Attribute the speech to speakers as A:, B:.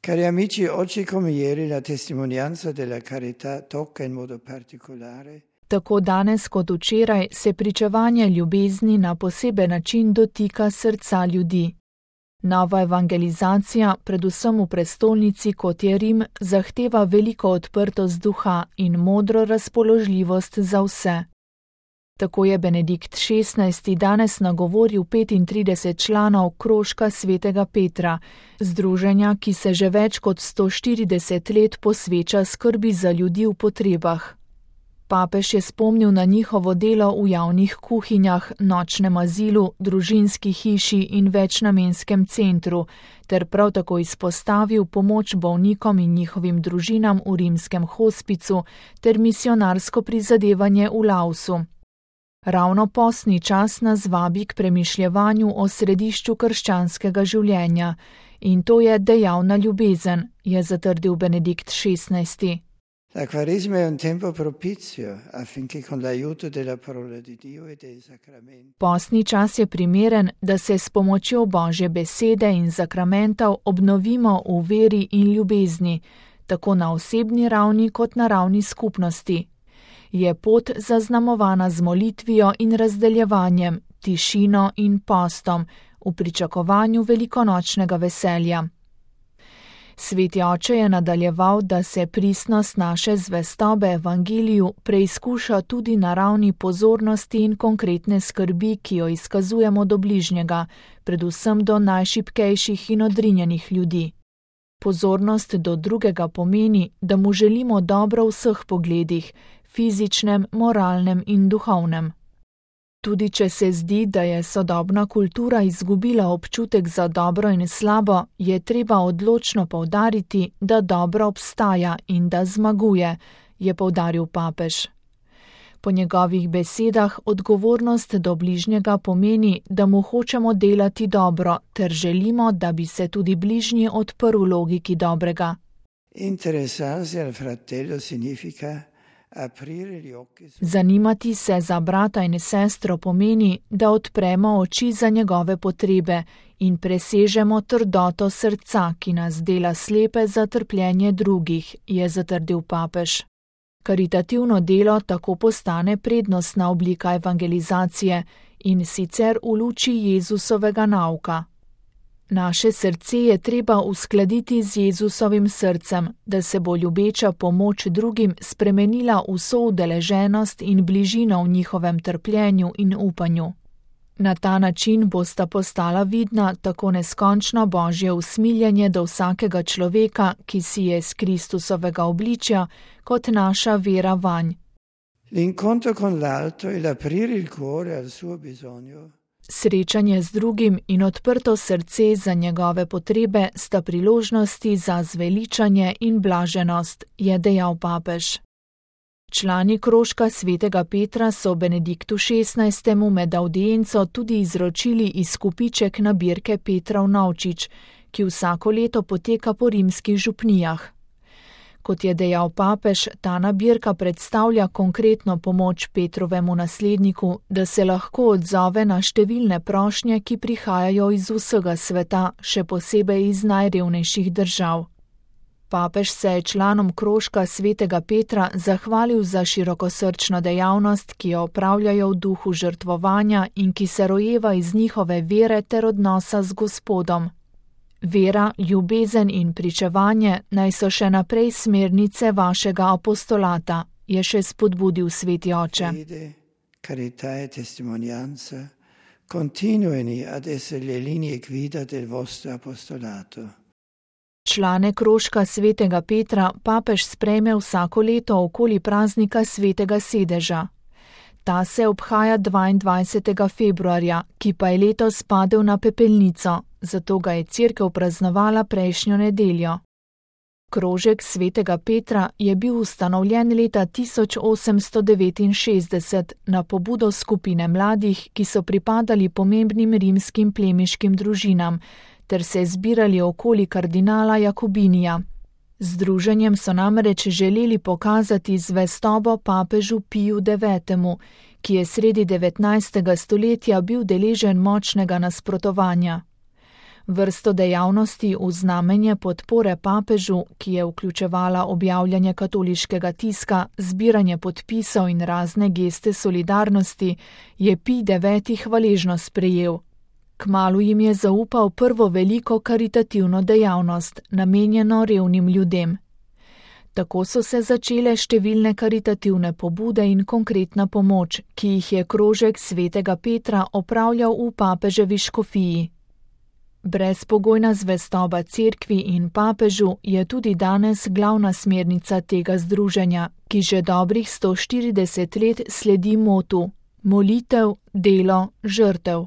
A: Cari amici, oggi come ieri la testimonianza della carità tocca in modo particolare.
B: Tako danes kot včeraj se pričevanje ljubezni na poseben način dotika srca ljudi. Nova evangelizacija, predvsem v prestolnici kot je Rim, zahteva veliko odprtost duha in modro razpoložljivost za vse. Tako je Benedikt XVI danes nagovoril 35 članov krožka svetega Petra, združenja, ki se že več kot 140 let posveča skrbi za ljudi v potrebah. Papež je spomnil na njihovo delo v javnih kuhinjah, nočnem azilu, družinski hiši in večnamenskem centru, ter prav tako izpostavil pomoč bolnikom in njihovim družinam v rimskem hospicu ter misionarsko prizadevanje v Laosu. Ravno postni čas nas vabi k premišljevanju o središču krščanskega življenja, in to je dejavna ljubezen, je zatrdil Benedikt XVI.
A: La Quaresima è un tempo propizio affinché con l'aiuto della parola di Dio e dei sacramenti.
B: Postni čas je primeren, da se s pomočjo Božje besede in sakramentov obnovimo v veri in ljubezni, tako na osebni ravni kot na ravni skupnosti. Je pot zaznamovana z molitvijo in razdeljevanjem, tišino in postom, v pričakovanju velikonočnega veselja. Sveti oče je nadaljeval, da se pristnost naše zvestobe evangeliju preizkuša tudi na ravni pozornosti in konkretne skrbi, ki jo izkazujemo do bližnjega, predvsem do najšibkejših in odrinjenih ljudi. Pozornost do drugega pomeni, da mu želimo dobro v vseh pogledih, fizičnem, moralnem in duhovnem. Tudi če se zdi, da je sodobna kultura izgubila občutek za dobro in slabo, je treba odločno poudariti, da dobro obstaja in da zmaguje, je poudaril papež. Po njegovih besedah odgovornost do bližnjega pomeni, da mu hočemo delati dobro, ter želimo, da bi se tudi bližnji odprl logiki dobrega.
A: Interessarsi al fratello significa
B: zanimati se za brata in sestro pomeni, da odpremo oči za njegove potrebe in presežemo trdoto srca, ki nas dela slepe za trpljenje drugih, je zatrdil papež. Karitativno delo tako postane prednostna oblika evangelizacije in sicer v luči Jezusovega nauka. Naše srce je treba uskladiti z Jezusovim srcem, da se bo ljubeča pomoč drugim spremenila v soudeleženost in bližino v njihovem trpljenju in upanju. Na ta način bosta postala vidna tako neskončno Božje usmiljenje do vsakega človeka, ki si je iz Kristusovega obličja, kot naša vera vanj.
A: L'incontro con l'altro e l'aprire il cuore al suo bisogno.
B: Srečanje z drugim in odprto srce za njegove potrebe sta priložnosti za zveličanje in blaženost, je dejal papež. Člani krožka svetega Petra so Benediktu XVI med audienco tudi izročili izkupiček nabirke Petrov Novčič, ki vsako leto poteka po rimskih župnijah. Kot je dejal papež, ta nabirka predstavlja konkretno pomoč Petrovemu nasledniku, da se lahko odzove na številne prošnje, ki prihajajo iz vsega sveta, še posebej iz najrevnejših držav. Papež se je članom krožka svetega Petra zahvalil za širokosrčno dejavnost, ki jo opravljajo v duhu žrtvovanja in ki se rojeva iz njihove vere ter odnosa z Gospodom. Vera, ljubezen in pričevanje naj so še naprej smernice vašega apostolata, je še spodbudil sveti oče.
A: Carità e testimonianza continuino ad essere le linee guida del vostro apostolato.
B: Člane krožka svetega Petra papež sprejme vsako leto okoli praznika svetega sedeža. Ta se obhaja 22. februarja, ki pa je letos padel na pepelnico, zato ga je cerkev praznovala prejšnjo nedeljo. Krožek svetega Petra je bil ustanovljen leta 1869 na pobudo skupine mladih, ki so pripadali pomembnim rimskim plemiškim družinam, ter se zbirali okoli kardinala Jakobinija. Združenjem so namreč želeli pokazati zvestobo papežu Piju IX, ki je sredi 19. stoletja bil deležen močnega nasprotovanja. Vrsto dejavnosti v znamenje podpore papežu, ki je vključevala objavljanje katoliškega tiska, zbiranje podpisov in razne geste solidarnosti, je Pij IX. Hvaležno sprejel. Kmalu jim je zaupal prvo veliko karitativno dejavnost, namenjeno revnim ljudem. Tako so se začele številne karitativne pobude in konkretna pomoč, ki jih je krožek svetega Petra opravljal v papeževi škofiji. Brezpogojna zvestoba cerkvi in papežu je tudi danes glavna smernica tega združenja, ki že dobrih 140 let sledi motu: molitev, delo, žrtev.